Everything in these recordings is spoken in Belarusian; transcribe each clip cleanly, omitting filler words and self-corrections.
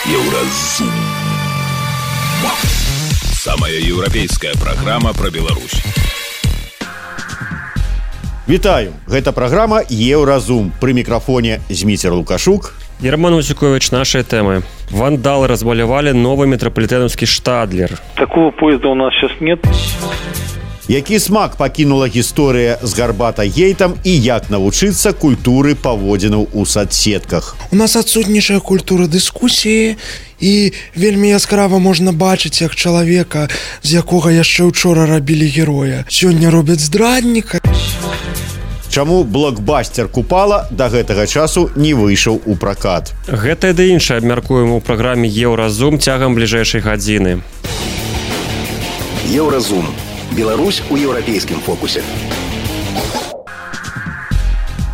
Еўразум. Самая еўрапейская праграма пра Беларусь. Вітаю, гэта праграма Еўразум. Пры мікрафоне Зміцер Лукашук і Роман Усікович. Наши темы. Вандалы размалявали новый метрополитеновский штадлер. Такого поезда у нас сейчас нет. Які смак пакінула гісторыя з гарбата-гейтам і як навучыцца культуры паводзінаў у соцсетках. У нас адсутнічая культура дыскусіі і вельмі яскрава можна бачыць, як чалавека, з якога яшчэ учора рабілі героя, сёння робяць здрадніка. Чаму блокбастер «Купала» да гэтага часу не выйшаў у пракат? Гэта і да іншае абмяркуем у праграме «Еўразум» цягам бліжэйшай гадзіны. Еўразум. Беларусь у еўрапейскім фокусе.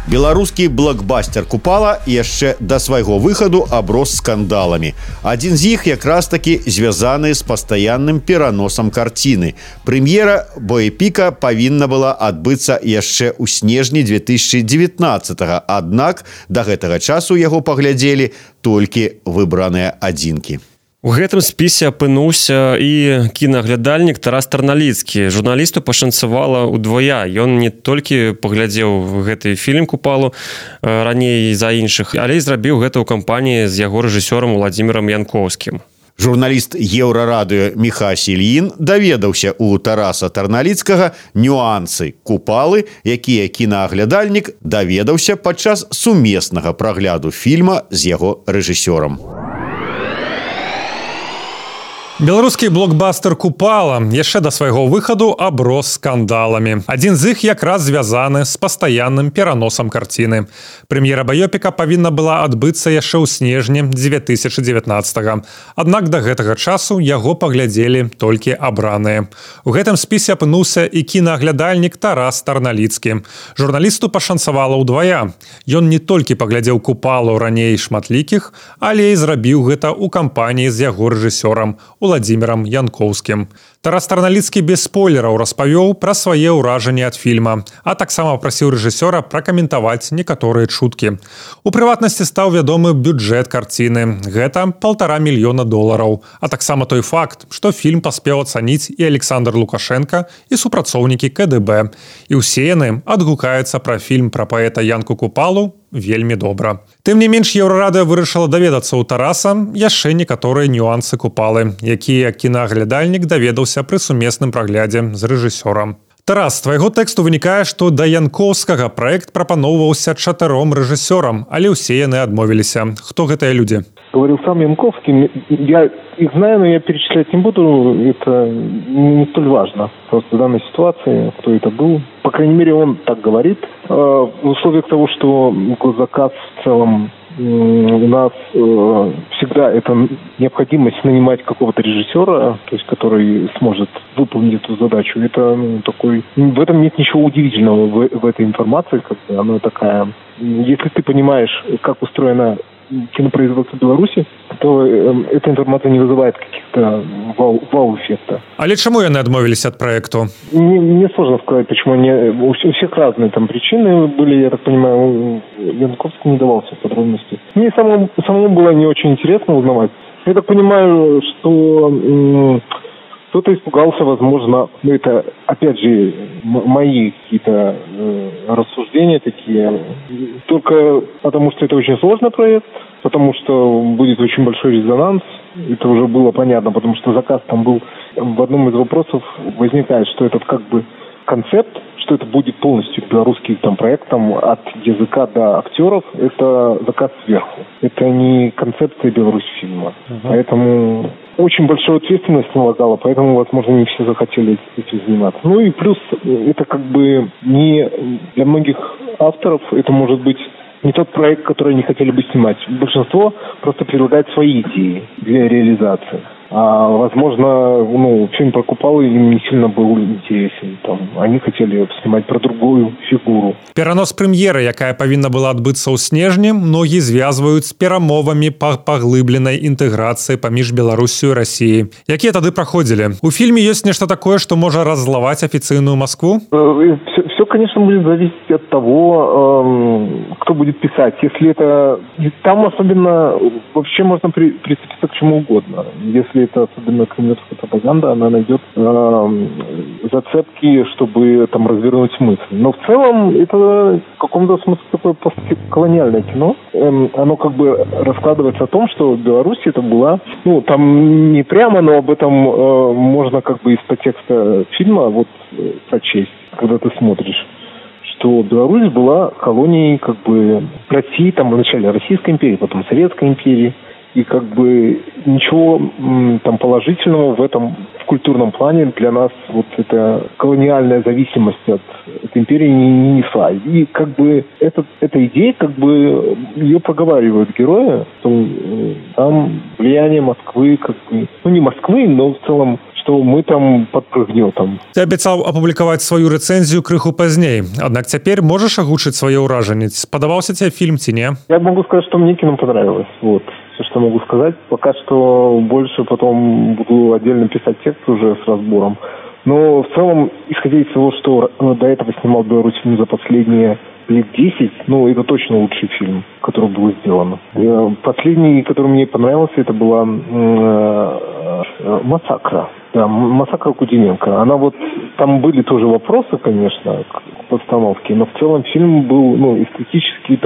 Беларускі блокбастер «Купала» яшчэ да свайго выхаду аброс скандаламі. Адзін з іх якраз такі звязаны з пастаянным пераносам карціны. Прэм'ера боепіка павінна была адбыцца яшчэ ў снежні 2019-го, аднак да гэтага часу яго паглядзелі толькі выбраныя адзінкі. У гэтым спісе апынуўся і кінаглядальнік Тарас Тарналіцкі. Журналісту пашанцавала ўдвая. Ён не толькі паглядзеў гэты фільм «Купалу» раней за іншых, але і зрабіў гэта ў кампаніі з яго рэжысёрам Уладзімірам Янкоўскім. Журналіст Еўрарадыё Міхась Ільін даведаўся у Тараса Тарналіцкага нюансы «Купалы», якія кінааглядальнік даведаўся падчас сумеснага прагляду фільма з яго рэжысёрам. Беларускі блокбастер «Купала» яшчэ да свайго выхаду аброс скандаламі. Адзін з іх якраз звязаны з пастаянным пераносам карціны. Прэм'ера баёпіка павінна была адбыцца яшчэ ў снежні 2019-го. Аднак да гэтага часу яго паглядзелі толькі абраныя. У гэтым спісе апынуўся і кінааглядальнік Тарас Тарналіцкі. Журналісту пашанцавала ўдвая. Ён не толькі паглядзеў «Купалу» раней шматлікіх, але і зрабіў гэта ў кампаніі з яго рэжысёрам Уладзімірам Янкоўскім. Тарас Тарналіцкі без спойлераў распавёў пра свае ўражанні ад фільма, а таксама прасіў рэжысёра пракаментаваць некаторыя чуткі. У прыватнасці стаў вядомы бюджэт карціны. Гэта $1,5 мільёна, а таксама той факт, што фільм паспеў ацаніць і Александр Лукашенко, і супрацоўнікі КДБ. І ўсе яны адгукаюцца пра фільм пра паэта Янку Купалу вельмі добра. Тым не менш, Еўрарадыё вырашыла даведацца ў Тараса яшчэ некаторыя нюансы «Купалы», якія кінааглядальнік даведаўся пры сумесным праглядзе з рэжысёрам. Тарас, з твайго тэксту вынікае, што да Янкоўскага праект прапаноўваўся 4 рэжысёрам, але ўсе яны адмовіліся. Хто гэтыя людзі? Говорил сам Янковский. Я их знаю, но я перечислять не буду. Это не столь важно. Просто в данной ситуации, кто это был. По крайней мере, он так говорит. В условиях того, что госзаказ в целом у нас всегда это необходимость нанимать какого-то режиссера, то есть который сможет выполнить эту задачу. Это такой. В этом нет ничего удивительного в этой информации, как бы она такая. Если ты понимаешь, как устроена кинопроизводство Беларуси, то эта информация не вызывает каких-то вау-эффекта. Але чаму яны адмовіліся ад праекту? Мне сложно сказать, почему они. У всех разные там причины были, я так понимаю, Янковский не давался подробности. Мне самому было не очень интересно узнавать. Я так понимаю, что кто-то испугался, возможно, это, опять же, мои какие-то рассуждения такие, только потому что это очень сложный проект, потому что будет очень большой резонанс, это уже было понятно, потому что заказ там был, в одном из вопросов возникает, что этот как бы концепт, что это будет полностью белорусский там проект, там, от языка до актеров, это заказ сверху. Это не концепция Беларусь фильма. Поэтому очень большая ответственность налагала, поэтому, возможно, не все захотели этим заниматься. Ну и плюс, это как бы не для многих авторов, это может быть не тот проект, который они хотели бы снимать. Большинство просто предлагает свои идеи для реализации. А, возможно, фильм про Купалу им не сильно был интересен. Там, они хотели снимать про другую фигуру. Перанос прэм'еры, якая павінна была адбыцца ў снежні, многія звязваюць з перамовамі па паглыбленай інтэграцыі паміж Беларусю і Расіяй. Якія тады праходзілі? У фільме ёсць нешта такое, што можа раззлаваць афіцыйную Маскву? все, конечно, будет зависеть от того, кто будет писать. Если это... Там особенно... Вообще можно прицепиться к чему угодно. Если это особенно кремлевская пропаганда, она найдет зацепки, чтобы там развернуть мысль. Но в целом это в каком-то смысле такое постколониальное кино. Оно как бы раскладывается о том, что Беларусь это была... Ну, там не прямо, но об этом можно как бы из подтекста фильма вот прочесть, когда ты смотришь, что Беларусь была колонией как бы России, там вначале Российской империи, потом Советской империи, и как бы ничего там положительного в этом в культурном плане для нас вот эта колониальная зависимость от империи не несла. И как бы эта идея, как бы ее проговаривают герои, что там влияние Москвы, как бы, ну не Москвы, но в целом, что мы там подпрыгнём. Ты абяцаў апублікаваць сваю рэцэнзію крыху пазней. Аднак цяпер можаш агучыць свае ўражанні? Спадабаўся тебе фильм ці не? Я могу сказать, что мне кино понравилось. Вот. Все, что могу сказать. Пока что больше потом буду отдельно писать текст уже с разбором. Но в целом, исходя из того, что до этого снимал Беларусь фильм за последние лет 10, ну, это точно лучший фильм, который был сделан. Последний, который мне понравился, это была «Массакра». Да, «Массакра» Кудиненко. Она вот... Там были тоже вопросы, конечно, к постановке, но в целом фильм был, ну, эстетически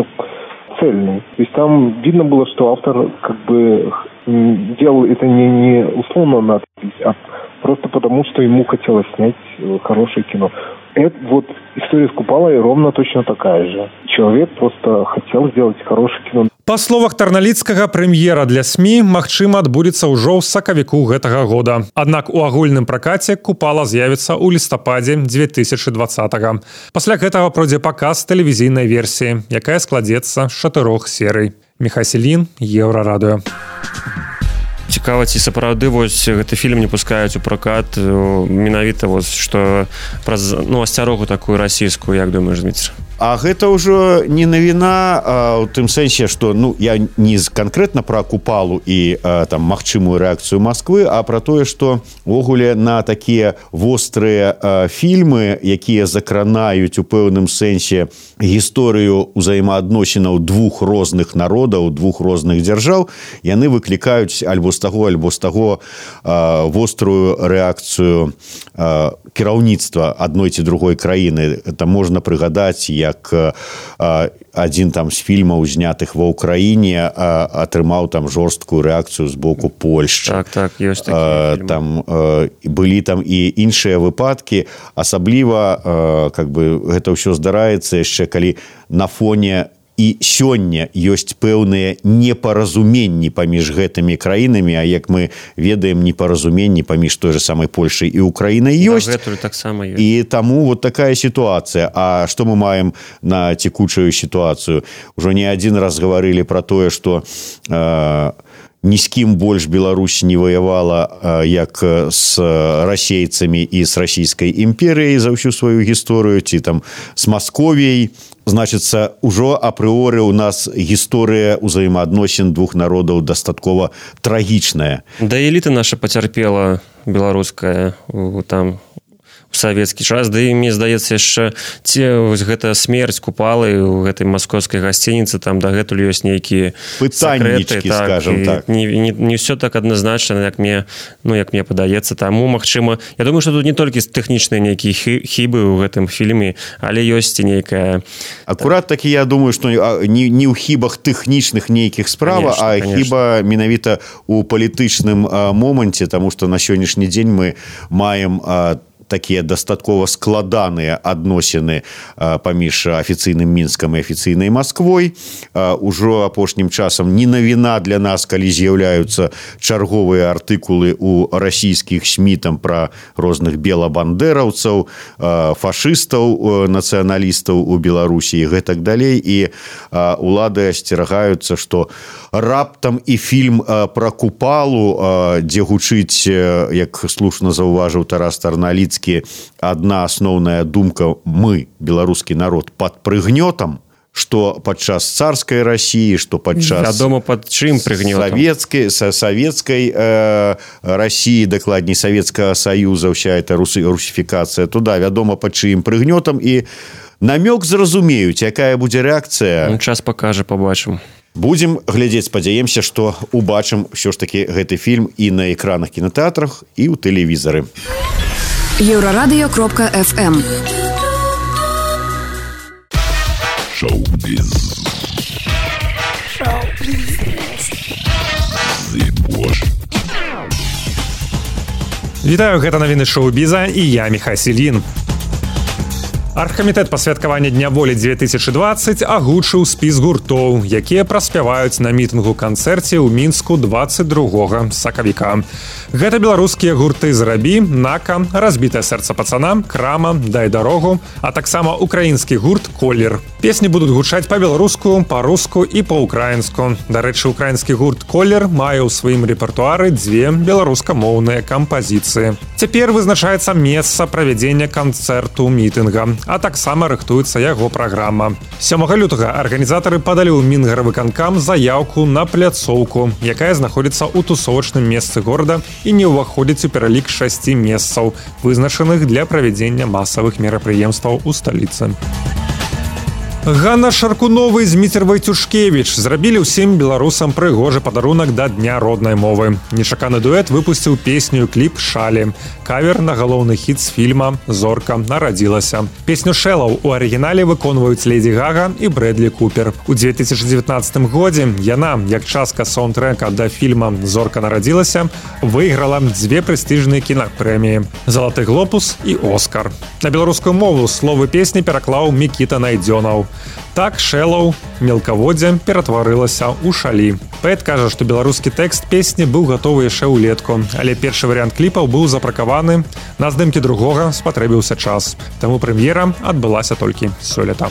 цельный. То есть там видно было, что автор как бы делал это не условно надпись, а просто потому, что ему хотелось снять хорошее кино. Это вот история с Купалой ровно точно такая же. Человек просто хотел сделать хорошее кино. Па словах Тарналіцкага, прэм'ера для СМІ, магчыма, адбудзецца ўжо ў сакавіку гэтага года. Аднак у агульным пракаце «Купала» з'явіцца ў лістападзе 2020-го. Пасля гэтага пройдзе паказ тэлевізійнай версіі, якая складзецца з 4 серый. Міхай Селін, Еўрарадыё. Цікава, ці сапраўды вось гэты фільм не пускаюць у пракат менавіта вось што праз асцярогу такую расійскую, як думаеш, Дмітрий? А гэта ўжо не навіна у тым сэнсе, што я не канкрэтна пра Купалу і там магчымую рэакцыю Масквы, а пра тое, што ўвогуле на такія вострыя фільмы, якія закранаюць у пэўным сэнсе гісторыю ўзаемаадносінаў двух розных народаў, двух розных дзяржаў, яны выклікаюць альбо з таго вострую рэакцыю кіраўніцтва адной ці другой краіны. Там можна прыгадаць, як адзін там з фільмаў, знятых ва ўкраіне, атрымаў там жорсткую рэакцыю з боку Польшчы. Так, ёсць такія фільмы. Там былі там і іншыя выпадкі, асабліва как бы гэта ўсё здараецца яшчэ калі на фоне і сёння ёсць пэўныя непаразуменні паміж гэтымі краінамі, а як мы ведаем, непаразуменні паміж той же самай Польшай і Украінай ёсць. І таму вот такая сітуацыя. А што мы маем на цекучую сітуацыю? Ужо не адзін раз гаварылі пра тое, што ні з кім больш Беларусь не ваявала, як з расейцамі і з расійскай імперыяй за ўсю сваю гісторыю, ці там з Масковіяй. Значыцца, ужо апрыоры ў нас гісторыя ўзаемаадносін двух народаў дастаткова трагічная. Да эліта наша пацярпела беларуская там у савецкі час, да і мне здаецца яшчэ гэта смерць Купалы у гэтай маскоўскай гасцініцы, там дагэтуль ёсць нейкія пытаннічкі, скажем так. Не ўсё так адназначна, як мне падаецца. Таму, магчыма, я думаю, што тут не толькі тэхнічныя нейкія хібы ў гэтым фільме, але ёсць і нейкая... Акурат такі, я думаю, што не ў хібах тэхнічных нейкіх справа, а хіба менавіта ў палітычным моманце, таму што на сённяшні дзень мы маем такія дастаткова складаныя адносіны паміж афіцыйным Мінскам і афіцыйнай Масквой. Ужо апошнім часам не навіна для нас, калі з'яўляюцца чарговыя артыкулы ў расійскіх СМІ там пра розных белабандераўцаў, фашыстаў, нацыяналістаў у Беларусі і гэтак далей. І улады асцерагаюцца, што раптам і фільм пра Купалу, дзе гучыць, як слушна заўважыў Тарас Тарналіцкі, одна асноўная думка: мы, беларускі народ, пад прыгнётам, што падчас царскай России, што падчас вядома пад чым прыгнётам савецкай России, дакладней Советского Союза, вся эта русификация туда, вядома пад чым прыгнётам, і намёк зразумеюць, якая будзе рэакцыя. Час пакажа, пабачым. Будзем глядзець, спадзяемся, што убачым ўсё ж такі гэты фільм і на экранах кінотэатрах, і ў тэлевізары. Еврорадио.FM Шоу-біз. Вітаю, гэта навіны шоу-біза і я Міхай Сільін. Аргкамітэт па святкаванні Дня волі 2020 агучыў спіс гуртоў, якія праспяваюць на мітынгу-канцэрце ў Мінску 22 сакавіка. Гэта беларускія гурты «Зрабі», «Нака», «Разбітае сэрца пацана», «Крама», «Дай дарогу», а таксама украінскі гурт «Колер». Песні будуць гучаць па-беларуску, па-руску і па-украінску. Дарэчы, украінскі гурт «Колер» мае ў сваім рэпертуары 2 беларускамоўныя кампазіцыі. Цяпер вызначаецца месца правядзення канцэрту мітынга, а таксама рыхтуецца яго праграма. 7 лютага арганізатары падалі ў Мінгарвыканкам заяўку на пляцоўку, якая знаходзіцца ў тусовачным месцы горада і не ўваходзіць у пералік 6 месцаў, вызначаных для правядзення масавых мерапрыемстваў у сталіцы. Ганна Шаркунова і Зміцер Вайцюшкевіч зрабілі ўсім беларусам прыгожы падарунак да Дня роднай мовы. Нечаканы дуэт выпусціў песню і кліп «Шалі», кавер на галоўны хіт з фільма «Зорка нарадзілася». Песню «Шэлаў» у арыгінале выконваюць Леді Гага і Брэдлі Купер. У 2019 годзе яна, як частка саундтрэка да фільма «Зорка нарадзілася», выйграла 2 прэстыжныя кінапрэміі – «Залаты глобус» і «Оскар». На беларускую мову словы песні пераклаў Мікіта Найдзёнаў. Так «Шэлаў» мелкаводдзе ператварылася ў «Шалі». Паэт кажа, што беларускі тэкст песні быў гатовы яшчэ ўлетку, але першы варыянт кліпаў быў запракаваны, на здымкі другога спатрэбіўся час. Таму прэм'ера адбылася толькі сёлета.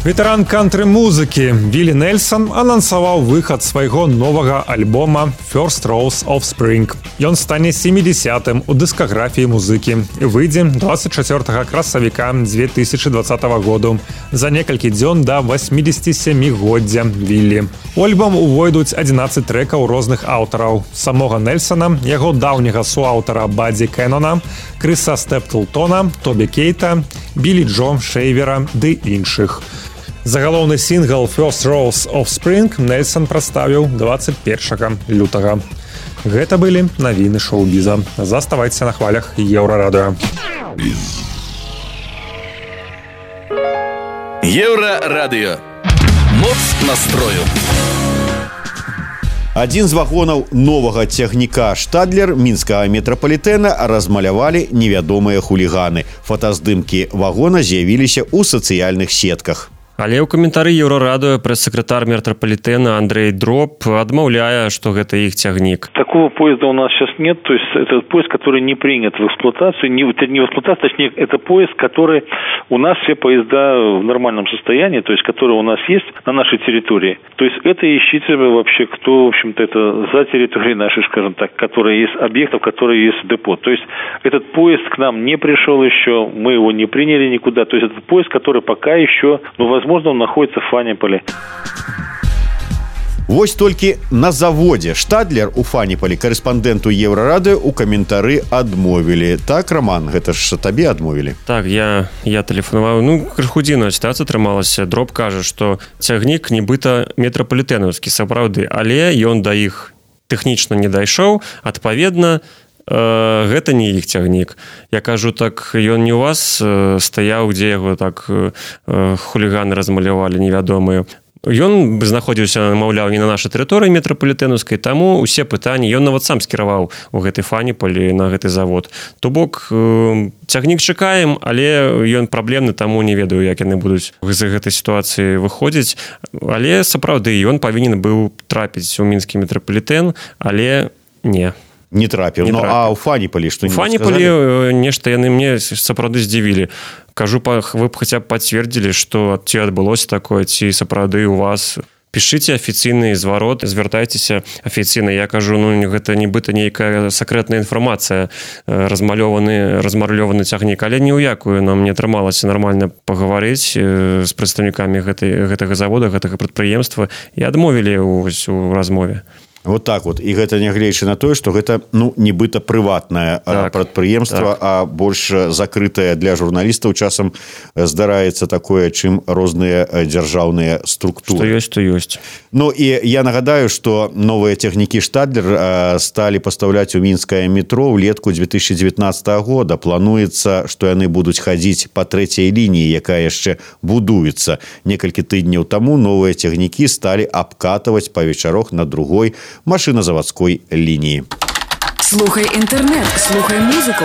Ветэран кантры-музыкі Віллі Нельсон анансаваў выхад свайго новага альбома «First Rose of Spring». Ён стане 70-м у дыскаграфіі музыкі і выйдзе 24 красавіка 2020 году, за некалькі дзён да 87-годдзя Віллі. У альбом увойдуць 11 трэкаў розных аўтараў. Самога Нельсона, яго даўняга суаўтара Бадзі Кэнона, Крыса Стэплтона, Тобі Кейта, Білі Джо Шэйвера ды іншых. Загалоўны сінгл «First Rose of Spring» Нельсон прадставіў 21 лютага. Гэта былі навіны шоу-біза. Заставайцеся на хвалях Еўрарадыё. Еўрарадыё. Моц настрою. Адзін з вагонаў новага цягніка «Штадлер» мінскага метрапалітэна размалявалі невядомыя хуліганы. Фотаздымкі вагона з'явіліся ў сацыяльных сетках. Але ў каментары Еўрарадыё прэс-сакратар метрапалітэна Андрей Дроб адмаўляе, што гэта іх цягнік. Такого поезда у нас сейчас нет, то есть это поезд, который не принят в эксплуатацию, не в эксплуатацию, точнее, это поезд, который у нас все поезда в нормальном состоянии, то есть которые у нас есть на нашей территории. То есть это ищите вообще, кто, в общем-то, это за территорией нашей, скажем так, которые есть объектов, которые есть депо. То есть этот поезд к нам не пришел еще, мы его не приняли никуда, то есть это поезд, который пока еще, возможно, он находится в Фаніполі. Вось толькі на заводзе «Штадлер» у Фаніполі корэспандэнту Еўрарадыё у каментары адмовілі. Так, Роман, гэта ж табе адмовілі? Так, я тэлефанаваў. Крыху дзіўная сітуацыя атрымалася. Дроб кажа, што цягнік нібыта метрапалітэнаўскі, сапраўды, але ён да іх тэхнічна не дайшоў, адпаведна, гэта не іх цягнік. Я кажу, так ён не ў вас стаяў, дзе яго так хуліганы размалявалі невядомыя. Ён знаходзіўся, маўляў, не на нашай тэрыторыі метрапалітэнаўскай, таму ўсе пытанні ён нават сам скіраваў у гэтай Фаніполі на гэты завод. То бок цягнік чакаем, але ён праблемны, таму не ведаю, як яны будуць з гэтай сітуацыі выходзіць. Але сапраўды ён павінен быў трапіць у мінскі метрапалітэн, але не. Не трапіў. А ў Фаніполі што-небудзь сказалі? У Фаніполі нешта яны мне сапраўды здзівілі. Кажу, вы б хаця б пацвердзілі, што ці адбылося такое, ці сапраўды у вас пішыце афіцыйны зварот, звяртайцеся афіцыйна. Я кажу, ну гэта нібыта нейкая сакрэтная інфармацыя, размалёваны цягнік, але ні ў якую нам не атрымалася нармальна пагаварыць з прадстаўнікамі гэтага завода, гэтага прадпрыемства, і адмовілі ў размове. Вот так вот. І гэта нягледзячы на тое, што гэта нібыта прыватнае прадпрыемства, а больш закрытае для журналістаў часам здараецца такое, чым розныя дзяржаўныя структуры. Што ёсць. Ну і я нагадаю, што новыя цягнікі «Штадлер» сталі пастаўляць у мінскае метро ўлетку 2019 года. Плануецца, што яны будуць хадзіць па трэцяй лініі, якая яшчэ будуецца. Некалькі тыдняў таму новыя цягнікі сталі абкатваць па вечарах на другой машинозаводской линии. Слухай интернет, слухай музыку.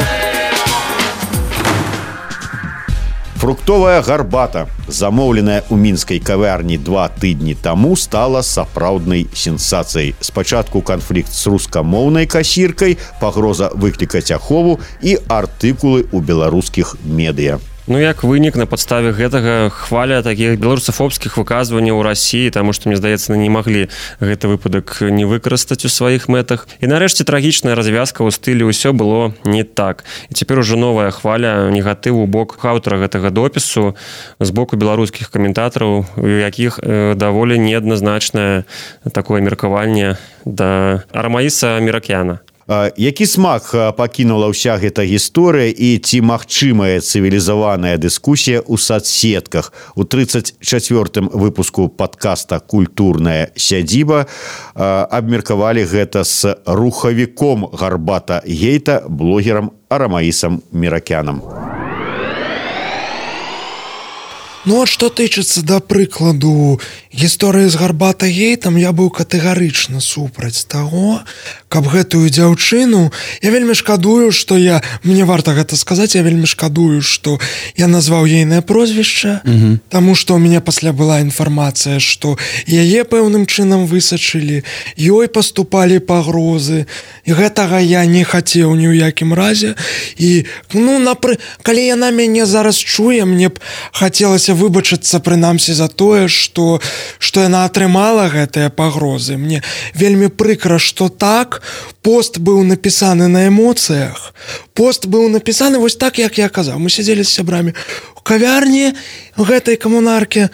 Фруктовая гарбата, замоўленая ў мінскай кавярні 2 тыдні таму, стала сапраўднай сенсацыяй. Спачатку канфлікт з рускамоўнай касіркай, пагроза выклікаць ахову і артыкулы ў беларускіх медыа. Ну, як вынік, на падставе гэтага хваля такіх беларусафобскіх выказванняў у Расіі, таму што, мне здаецца, не маглі гэты выпадак не выкарыстаць у сваіх мэтах. І нарэшце трагічная развязка ў стылі «Усё было не так». І цяпер ужо новая хваля негатыву ў бок аўтара гэтага допісу з боку беларускіх каментатараў, у якіх даволі неадназначнае такое меркаванне да Арамаіса Міракяна. Які смак пакінула ўся гэта гісторыя і ці магчымая цывілізаваная дыскусія ў садсетках? У 34-м выпуску падкаста «Культурная сядзіба» абмеркавалі гэта з рухавіком гарбата-гейта, блогерам Арамаісам Міракянам. Ну, от што тычыцца, да прыкладу, гісторыі з гарбата-гейтам, я быў катэгарычна супраць таго, каб гэтую дзяўчыну, я вельмі шкадую, што мне варта гэта сказаць, я вельмі шкадую, што я назваў ейнае прозвішча, таму што ў мяне пасля была інфармацыя, што яе пэўным чынам высачылі, ёй паступалі пагрозы, і гэтага я не хацеў ні ў якім разе, і, калі яна мяне зараз чуе, мне б хацелася выбачыцца прынамсі за тое, што яна атрымала гэтыя пагрозы. Мне вельмі прыкра, што так, пост быў напісаны на эмоцыях, пост быў напісаны вось так, як я казаў. Мы сядзелі з сябрамі у кавярні гэтай камунаркі,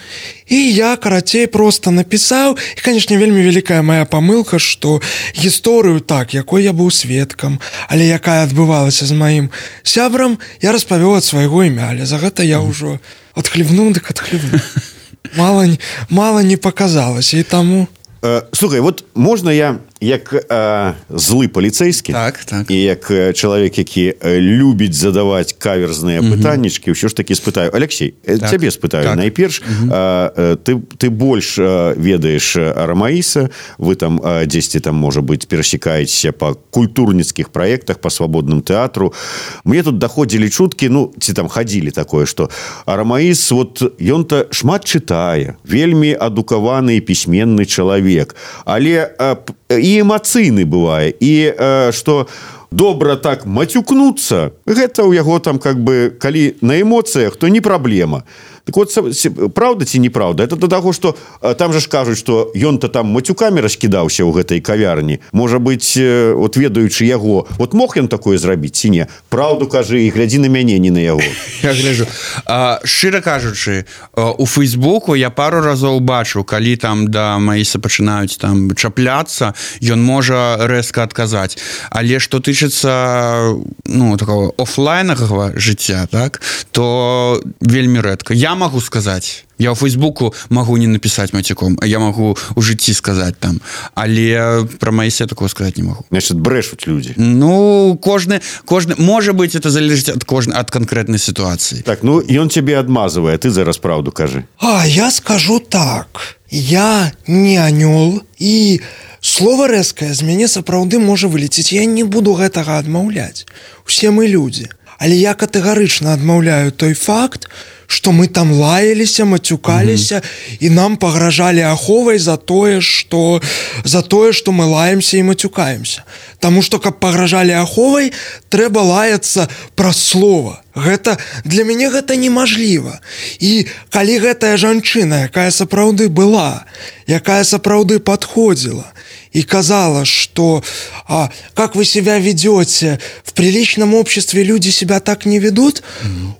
і я, карацей, проста напісаў, і, канешне, вельмі вялікая мая памылка, што гісторыю так, якой я быў сведкам, але якая адбывалася з маім сябрам, я распавёў ад свайго імя, але за гэта я ўжо адхлебнуў, дык адхлебнуў. Мало не показалася, і таму... Слухай, вот можна я, як злы паліцэйскі, і як чалавек, які любіць задаваць каверзныя пытаннічкі, ўсё ж такі спытаю. Алексей, цябе спытаю найперш. Ты больш ведаеш Арамаіса, вы там дзесьці там, можа быць, перасекаецеся па культурніцкіх праектах, па свабодным тэатру. Мне тут даходзілі чуткі, ці там хадзілі такое, што Арамаіс, ён-то шмат чытае, вельмі адукаваны і пісьменны чалавек, але і эмацыйны бывае, і што добра так мацюкнуцца, гэта ў яго там, калі на эмоцыях, то не праблема. Так вот, правда ці неправда? Это до таго, што там же ж кажуць, што ён-то там матюкамі раскідаўся ў гэтай кавярні. Можа быць, ведаючы яго, мог ён такое зрабіць ці не? Праўду кажы і глядзі на мяне, не на яго. Я гляджу. Шчыра кажучы, у Фейсбуку я пару разоў бачу, калі там да Маіса пачынаюць там чапляцца, ён можа рэзка адказаць. Але што тычыцца такого офлайнавага жыцця, так, то вельмі рэдка. Я могу сказаць, я ў Фейсбуку могу не напісаць мацюком, а я могу у жыцці сказаць там, але пра Маіса такого сказаць не могу. Значит, брэшуць людзі. Кожны, можа быць, это залежыць ад канкрэтнай сітуацыі. Так, ён цябе адмазвае, ты зараз праўду кажы. Я скажу так, я не анёл, і слова рэзкае з мяне сапраўды можа вылеціць. Я не буду гэтага адмаўляць. Усе мы людзі. Але я катэгарычна адмаўляю той факт, што мы там лаяліся, мацюкаліся, і нам пагражалі аховай за тое, што мы лаемся і мацюкаемся. Таму што, каб пагражалі аховай, трэба лаяцца праз слова. Гэта для мяне гэта немажліва. І калі гэтая жанчына, якая сапраўды была, якая сапраўды падходзіла и казала, что как вы себя ведете, в приличном обществе люди себя так не ведут,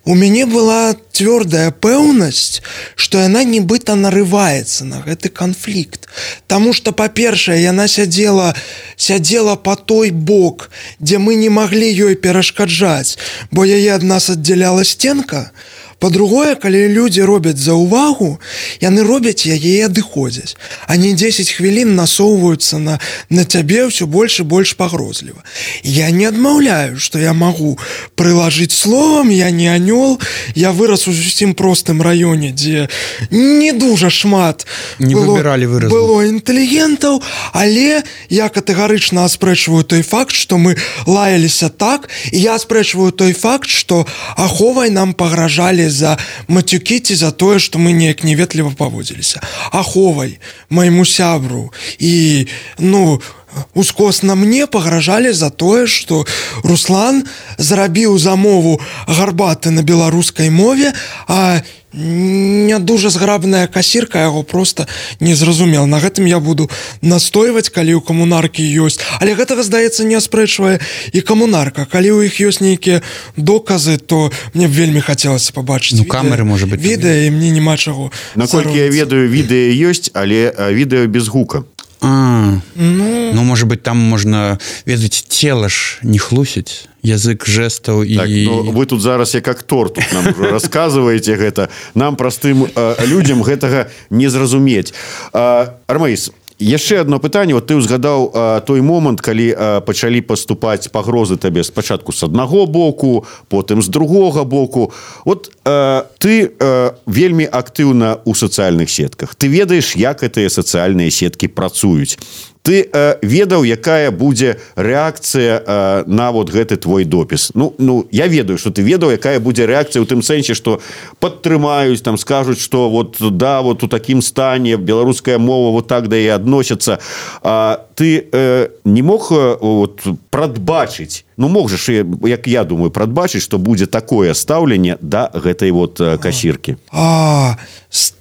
у меня была твердая пэўнасць, что она нібыта нарывается на гэты конфликт. Потому что, по-першае, яна сядзела по той бок, где мы не могли ёй перашкаджаць, бо яе ад нас аддзяляла стенка. По-другое, калі людзі робяць заўвагу, яны робяць яе і адыходзяць. Они 10 хвілін насоўваюцца на цябе ўсё больш і больш пагрозліва. Я не адмаўляю, што я магу прылажыць словам, я не анёл, я вырас у зусім простым раёне, дзе не дужа шмат было інтэлігентаў, але я катэгарычна аспрэчваю той факт, што мы лаяліся так, і я аспрэчваю той факт, што аховай нам пагражалі за матюкі ці за тое, што мы неяк неветліва паводзіліся. Аховай, майму сябру і, ускосна мне пагражалі за тое, што Руслан зрабіў замову гарбаты на беларускай мове, а не дуже зграбная касірка яго просто не зразумела. На гэтым я буду настойваць, калі ў камунаркі ёсць. Але гэтага, здаецца, не аспрэчвае і камунарка. Калі ў іх ёсць нейкія доказы, то мне б вельмі хацелася пабачыць камеры, можа быць, відэа, і мне няма чаго. Наколькі я ведаю, відэа ёсць, але відэа без гука. Может быть, там можна, ведаць, цела ж не хлусіць, язык жэстаў і... Так, вы тут зараз як актор тут нам расказваеце гэта. Нам, простым людзям, гэтага не зразумець. Армаіс, яшчэ одно пытанне. Вот ты узгадаў той момант, калі пачалі паступаць пагрозы табе спачатку з аднаго боку, потым з другога боку. Вот ты вельмі актыўна ў сацыяльных сетках. Ты ведаеш, як гэтыя сацыяльныя сеткі працуюць. Ты ведаў, якая будзе рэакцыя на вот гэты твой допіс. Я ведаю, што ты ведаў, якая будзе рэакцыя ў тым сэнсе, што падтрымаюць, там скажуць, што вот у такім стане беларуская мова вот так да і адносяцца. Ты не мог прадбачыць, мог же, як я думаю, прадбачыць, што будзе такое стаўленне да гэтай вот касіркі.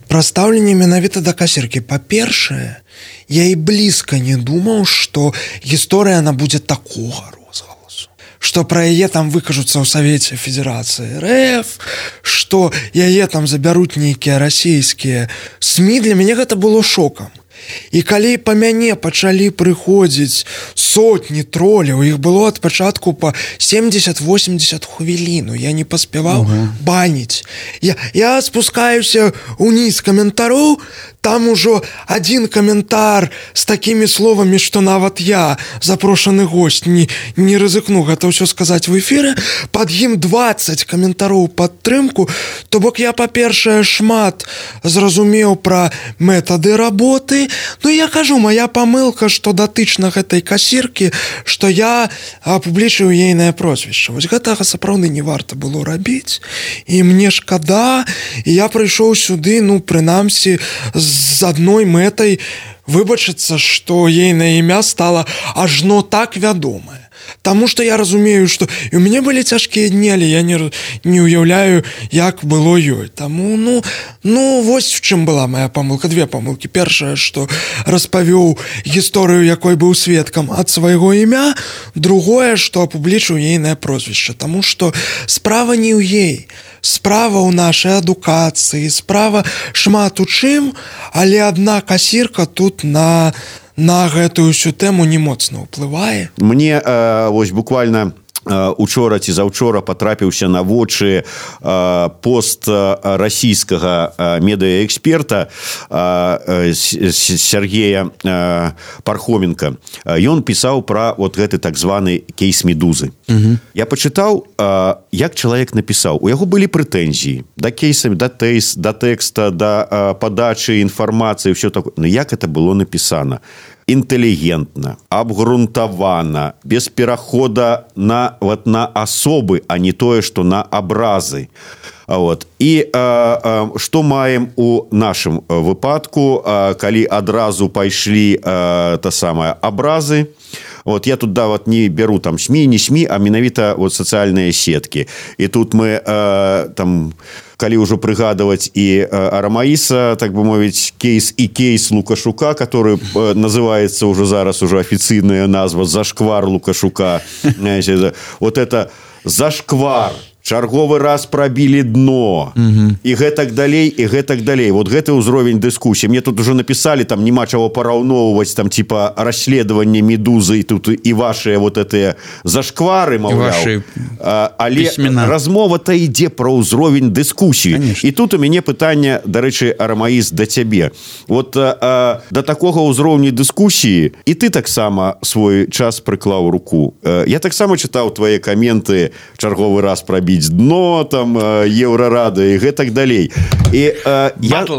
Пра стаўленне менавіта да касіркі. Па-першае, я і блізка не думаў, што гісторыя она будзе такога розгаласу, што пра яе там выкажуцца ў Савеце Федэрацыі РФ, што яе там забяруць нейкія расійскія СМІ. Для мяне гэта было шокам. І калі па мяне пачалі прыходзіць сотні троляў, іх было ад пачатку па 70-80 хвіліну, я не паспяваў баніць. Я спускаюся ўніз каментароў, там ужо один каментар з такімі словамі, што нават я, запрошаны госць, не рызыкну гэта ўсё сказаць в эфіры, пад ім 20 каментароў падтрымку. То бок я, па-першае, шмат зразумеў пра метады работы. Я кажу, моя памылка, што датычна гэтай касіркі, што я апублічыў ейнае прозвішча. Вось гэтага сапраўды не варта было рабіць. І мне шкада, і я прыйшоў сюды, прынамсі, з адной мэтай выбачыцца, што ейнае імя стала ажно так вядомае. Таму што я разумею, што і ў мяне былі цяжкія дні, але я не ўяўляю, як было ёй. Таму, вось в чым была моя памылка. Две памылкі. Першае, што распавёў гісторыю, якой быў сведкам ад свайго імя. Другое, што апублічыў ейнае прозвішча. Таму што справа не ў ей. Справа ў нашай адукацыі, справа шмат у чым, але адна касірка тут на гэтую ўсю тэму не моцна ўплывае. Мне вось буквально учора ці заўчора патрапіўся на вочы пост расійскага медыаэксперта Сергея Пархоменка. Ён пісаў пра вот гэты так званы кейс Медузы. Я пачытаў, як чалавек напісаў. У яго былі прэтэнзіі да кейсамі, да тэкста, да падачы інфармацыі, ўсё такое. Як это было напісана? Інтэлігентна, абгрунтавана, без перахода на асобы, а не тое, што на абразы. І што маем у нашым выпадку, калі адразу пайшлі абразы, вот я тут вот не беру там СМИ, не СМИ, а менавіта вот социальные сетки. И тут мы там, калі ўжо прыгадывать и Арамаиса, так бы мовить, кейс Лукашука, который называется уже зараз уже официальная назва «Зашквар Лукашука». Вот это «Зашквар». Чарговы раз пробили дно і гэтак далей вот гэты ўзровень дыскусіі. Мне тут уже написали, там няма чаго параўноўваць, там типа расследаванне Медузы тут і ваши вот этыя зашквары, маўляў, але размова-то ідзе про ўзровень дыскусіі. І тут у мяне пытанне, дарэчы, Арамаіс, да цябе. Вот да такога ўзроўня дыскусіі і ты таксама свой час прыклаў руку. Я таксама чытаў твае каменты чарговы раз пробіць дно, там, Еврорады и гэтак далей. И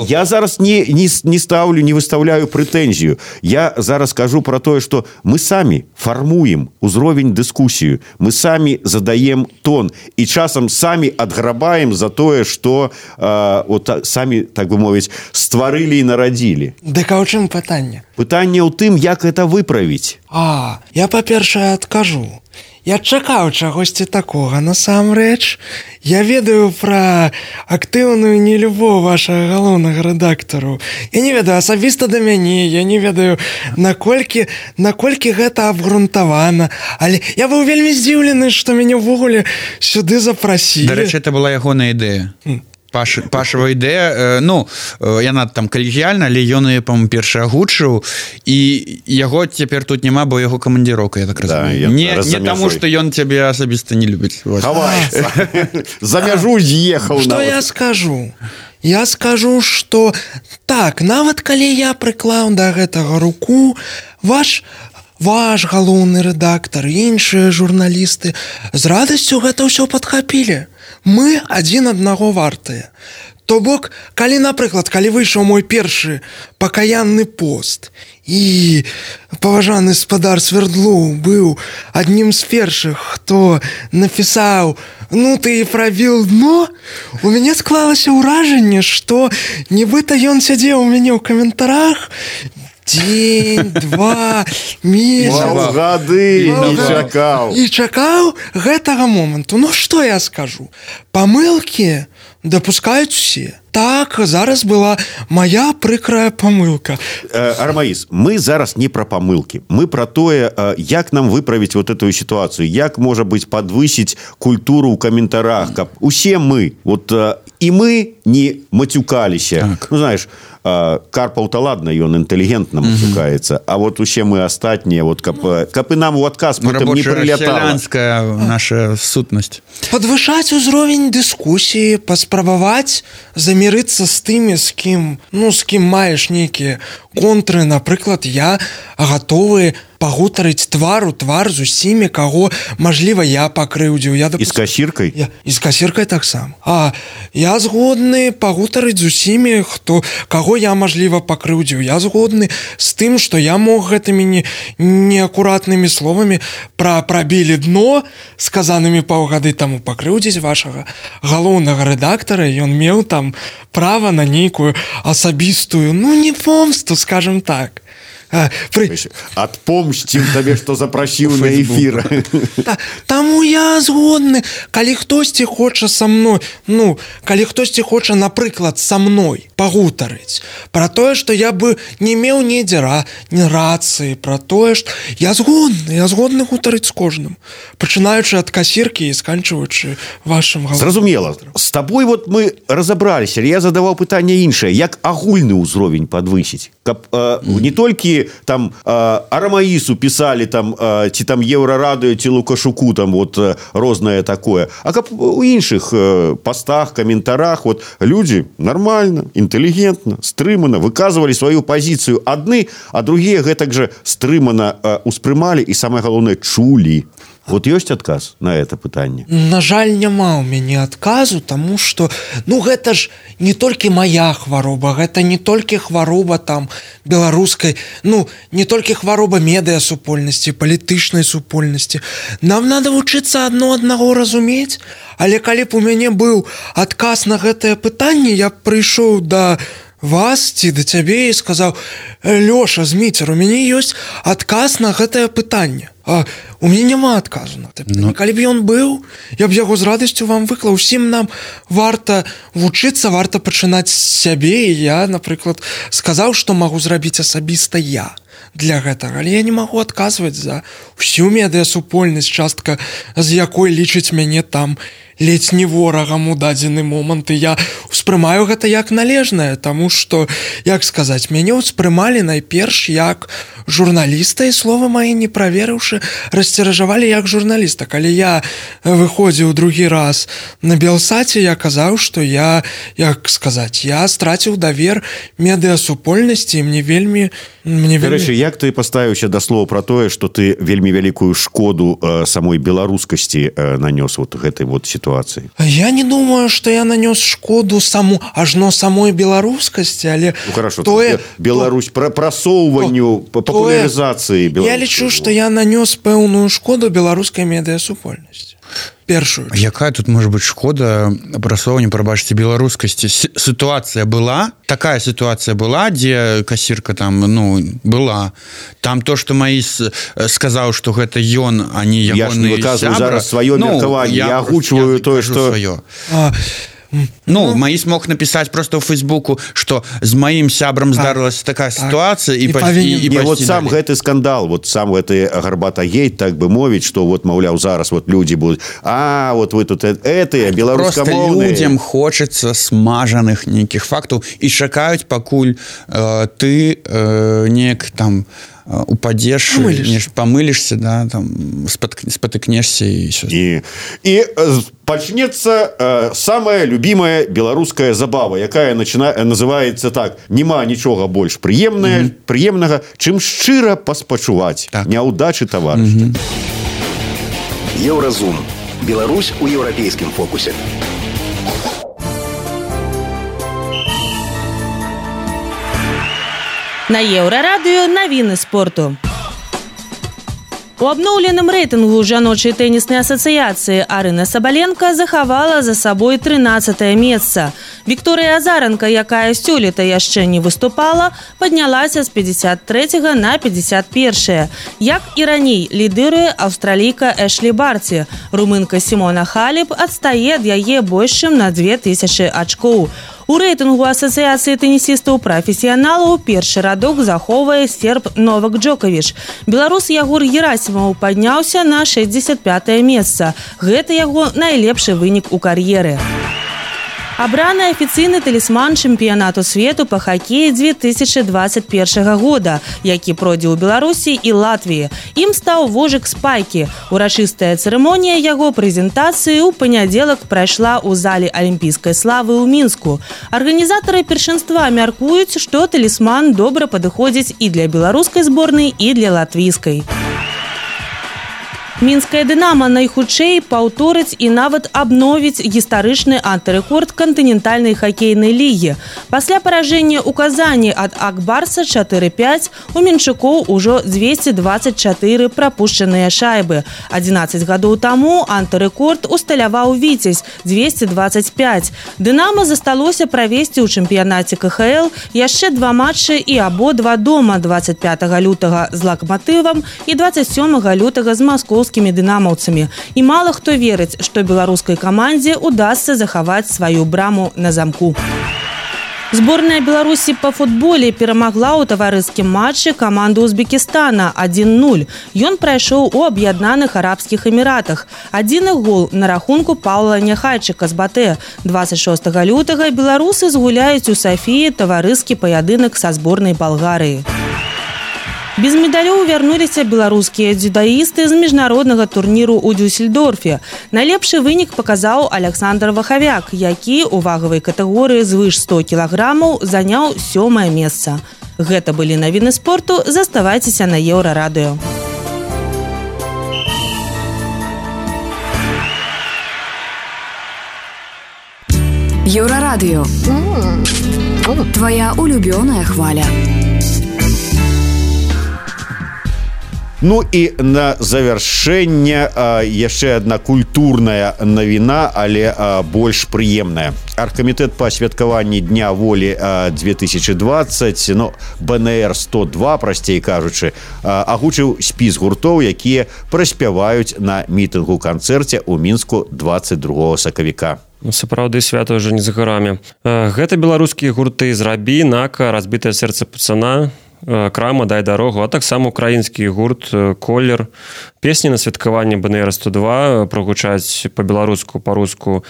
я зараз не ставлю, не выставляю претензию. Я зараз скажу про то, что мы сами формуем узровень дискуссию, мы сами задаем тон и часом сами отграбаем за то, что вот сами, так бы мовить, створили и народили. Дык а ў чым пытанне? Пытанне ў тым, як это выправіць. Я, па-першае, адкажу. Я чакаў чагосьці такога. Насамрэч, я ведаю пра актыўную нелюбоў вашага галоўнага рэдактару. Я не ведаю асабіста да мяне, я не ведаю, наколькі гэта абгрунтавана. Але я быў вельмі здзіўлены, што мяне ўвогуле сюды запрасілі. Дарэчы, это была ягоная ідэя. Пашава ідэя, ну, яна там калегіяльна, але ён яе, па-моему, першы агучыў, і яго цяпер тут няма, бо яго камандзіроўка, я так разумею. Не таму, што ён цябе асабіста не любіць. Хаваецца. За мяжу з'ехаў. Што я скажу? Я скажу, што так, нават калі я прыклаў да гэтага руку, ваш галоўны рэдактар, іншыя журналісты з радасцю гэта ўсё падхапілі. Мы адзін аднаго вартыя. То бок, калі, напрыклад, калі выйшаў мой першы пакаянны пост і паважаны спадар Свердлоў быў аднім з першых, хто напісаў «Ну ты і прабіў дно», у мяне склалася ўражанне, што нібыта ён сядзеў у мяне ў каментарах дзень, два, месяц, гады і чакаў гэтага моманту. Ну што я скажу? Памылкі дапускаюць усе. Так, зараз была моя прыкрая памылка. Арамаис, мы зараз не про памылки. Мы про тое, як нам выправить вот эту ситуацию, як, может быть, подвысить культуру ў каментарах, каб усе мы, вот и мы не матюкаліся. Так. Ну, знаешь, Карпаў-то ладно, ён інтэлігентна матюкаецца, а вот усе мы астатнія, вот каб і нам у адказ потым не прылятала. Сялянская наша сутнасць. Падвышаць узровень дыскусіі, паспрабаваць замірыцца з тымі, з кім маеш нейкія контры. Напрыклад, я гатовы пагутарыць твар у твар з усімі, каго, мажліва, я пакрыўдзіў. І з касіркай? І з касіркай таксама. Я згодны пагутарыць з усімі, каго я, мажліва, пакрыўдзіў. Я згодны з тым, што я мог гэтымі неакуратнымі словамі прабілі дно, сказанымі паўгады таму пакрыўдзіць вашага галоўнага рэдактара. Ён меў там права на нейкую асабістую, не помсту, скажем так. Отпомсцім табе, што запрасіў на эфір. Таму я згодны, калі хтосьці хоча са мной, калі хтосьці хоча, напрыклад, са мной пагутарыць пра тое, што я бы не меў недзе рацыі, пра тое, што я згодны гутарыць з кожным, пачынаючы ад касіркі і сканчваючы вашым галоўным. Зразумела. З табой вот мы разабраліся, я задаваў пытанне іншае, як агульны ўзровень падвысіць, каб не толькі там Арамаису писали там, ці там Еврорадио, ці Лукашуку там вот рознае такое, а каб у іншых постах, комментарах вот люди нормально, интеллигентно, стрымана выказывали свою позицию адны, а другие гэтак же стрымана успрымали и самое главное чули. Вот ёсць адказ на это пытанне? На жаль, няма ў мяне адказу, таму што гэта ж не толькі моя хвароба, гэта не толькі хвароба там беларускай, не толькі хвароба медыасупольнасці, палітычнай супольнасці. Нам надо вучыцца аднаго разумець, але калі б у мяне быў адказ на гэтае пытанне, я б прыйшоў да вас ці да цябе і сказаў: Лёша, Зміцер, у мяне ёсць адказ на гэтае пытанне. У мяне няма адказу на гэта. Калі б ён быў, я б яго з радасцю вам выклаў. Усім нам варта вучыцца, варта пачынаць з сябе, і я, напрыклад, сказаў, што магу зрабіць асабіста я для гэтага, але я не магу адказваць за ўсю медыасупольнасць, частка з якой лічыць мяне там ледзь не ворагам у дадзены момант, і я ўспрымаю гэта як належнае, таму што, як сказаць, мяне ўспрымалі найперш як журналіста, і слова мае не праверыўшы, расціражавалі як журналіста. Калі я выходзіў другі раз на Белсаце, я казаў, што я, як сказаць, я страціў давер медыасупольнасці, і мне вельмі... Дарэчы, як ты паставіўся да слова пра тое, што ты вельмі вялікую шкоду самой беларускасці нанёс вот гэтай вот сітуацыі? Я не думаю, што я нанёс шкоду ажно самой беларускасці, але... Ну, хорошо, Беларусь, прасоўванню, папулярызацыі беларускай. Я лічу, што я нанёс пэўную шкоду беларускай медыасупольнасці. Першую. Якая тут можа быць шкода прасоўванню, прабачце, беларускасці? Сітуацыя была? Такая сітуацыя была, дзе касірка там, ну, была. Там то, што Маіс сказаў, што гэта ён, а не ягоны сябра. Я ж не выказваю зараз сваё меркаванне, я агучваю тое, што... Ну, Маіс мог напісаць просто ў Фейсбуку, што з маім сябрам здарылася такая сітуацыя, і вот сам гэты скандал, вот сам гэты Гарбата-гейт, так бы мовіць, што вот, маўляў, зараз вот людзі будуць, вот вы тут этыя беларускамоўныя. Просто людзям хочацца смажаных нейкіх фактаў і чакаюць, пакуль ты неяк там упадзеш, памылішся, да, там спатыкнешся і пачнецца самая любимая беларуская забава, якая называецца так: няма нічога больш прыемнага, чым шчыра паспачуваць няўдачы таварыша. Еўразум. Беларусь у еўрапейскім фокусе. На Еўрарадыё навіны спорту. У абноўленым рэйтынгу жаночай тэніснай асацыяцыі Арына Сабаленка захавала за сабой 13-е месца. Вікторыя Азаранка, якая сёлета яшчэ не выступала, паднялася з 53-го на 51-е. Як і раней, лідыруе аўстралійка Эшлі Барці. Румынка Сімона Халеп адстае ад яе больш чым на 2000 ачкоў. У рэйтынгу асацыяцыі тэнісістаў-прафесіяналаў першы радок захоўвае серб Новак Джоковіч. Беларус Ягор Герасімаў падняўся на 65-е месца. Гэта яго найлепшы вынік у кар'еры. Абраны афіцыйны талісман чэмпіянату свету па хакеі 2021 года, які пройдзе ў Беларусі і Латвіі. Ім стаў Вожык Спайкі. Урачыстая цырымонія яго прэзентацыі ў панядзелак прайшла ў зале алімпійскай славы ў Мінску. Арганізатары першынства мяркуюць, што талісман добра падыходзіць і для беларускай зборнай, і для латвійскай. Мінская «Дынамо» найхутчэй паўторыць і нават абновіць гістарычны антырэкорд кантынентальнай хакейнай лігі. Пасля паражэння ў Казані ад Ак-Барса 4-5 у мінчукоў ужо 224 прапушчаныя шайбы. 11 гадоў таму антырэкорд усталяваў «Віцязь» 225. «Дынамо» засталося правесці ў чэмпіянаце КХЛ яшчэ 2 матчы і абодва дома 25 лютага з «Лакматывам» і 27 лютага з Маскоўскім дынамаўцамі. І мала хто верыць, што беларускай камандзе удасца захаваць сваю браму на замку. Зборная Беларусі па футболе перамагла ў таварыскім матчы каманду Узбекістана 1-0. Ён прайшоў у Аб'яднаных Арабскіх Эміратах. Адзіны гол на рахунку Паўла Няхайчыка з Батэ. 26 лютага беларусы згуляюць у Сафіі таварыскі паядынак са зборнай Балгарыі. Без медалёў вярнуліся беларускія дзюдаісты з міжнароднага турніру ў Дюссельдорфе. Найлепшы вынік паказаў Александр Вахавяк, які ў вагавай катэгорыі звыш 100 кілаграмаў заняў 7-е месца. Гэта былі навіны спорту. Заставайцеся на Еўрарадыё. Еўрарадыё. Твоя улюбёная хваля. Ну і на завяршэнне яшчэ адна культурная навіна, але больш прыемная. Аргкамітэт па святкаванні Дня волі 2020, ну, БНР-102, прасцей кажучы, агучыў спіс гуртоў, якія праспяваюць на мітынгу-канцэрце ў Мінску 22 сакавіка. Сапраўды, свята ўжо не за гарамі. Гэта беларускія гурты «Зрабі», «Нака», «Разбітае сэрца пацана», «Крама», «Дай дарогу», а таксама украінскі гурт «Колер». Песні на святкаванні БНР-102 прагучаць па-беларуску, па-руску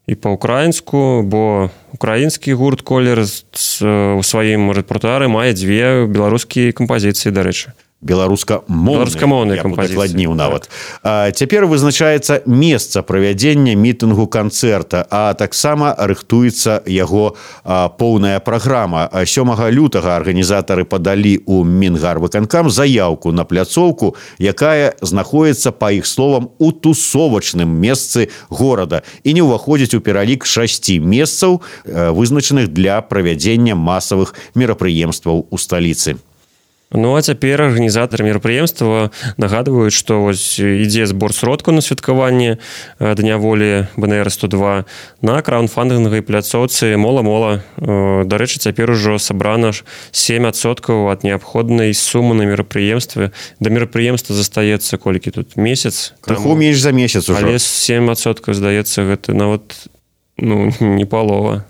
і па-украінску, бо украінскі гурт «Колер» у сваім рэпертуары мае дзве беларускія кампазіцыі, дарэчы. Беларускамоўныя кампазіцыі нават. Цяпер вызначаецца месца правядзення мітынгу-канцэрта, а таксама рыхтуецца яго поўная праграма. 7 лютага арганізатары падалі ў Мінгарвыканкам заяўку на пляцоўку, якая знаходзіцца, па іх словам, у тусовачным месцы горада і не ўваходзіць у пералік 6 месцаў, вызначаных для правядзення масавых мерапрыемстваў у сталіцы. Ну, а цяпер арганізатары мерапрыемства нагадваюць, што вось ідзе збор сродкаў на святкаванне Дня волі БНР-102 на краўдфандынгавай пляцоўцы «Мола-мола». Дарэчы, цяпер ужо сабрана 7% ад неабходнай сумы на мерапрыемстве. Да мерапрыемства застаецца колькі тут? Месяц? Крыху менш за месяц ужо. Але 7%, здаецца, гэта нават не палова.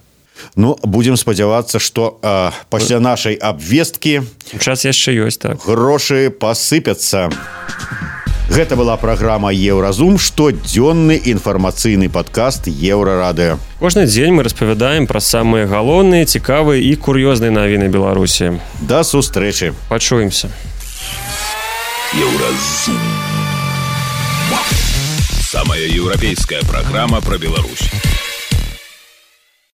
Ну, будем спадзявацца, што пасля нашай абвесткі час яшчэ ёсць, так. Грошы пасыпяцца. Гэта была праграма «Еўразум», штодзённы інфармацыйны падкаст «Еўрарадыё». Кожны дзень мы распавядаем пра самыя галоўныя, цікавыя і кур'ёзныя навіны Беларусі. Да сустрэчы. Пачуемся. Еўразум. Самая еўрапейская праграма пра Беларусь.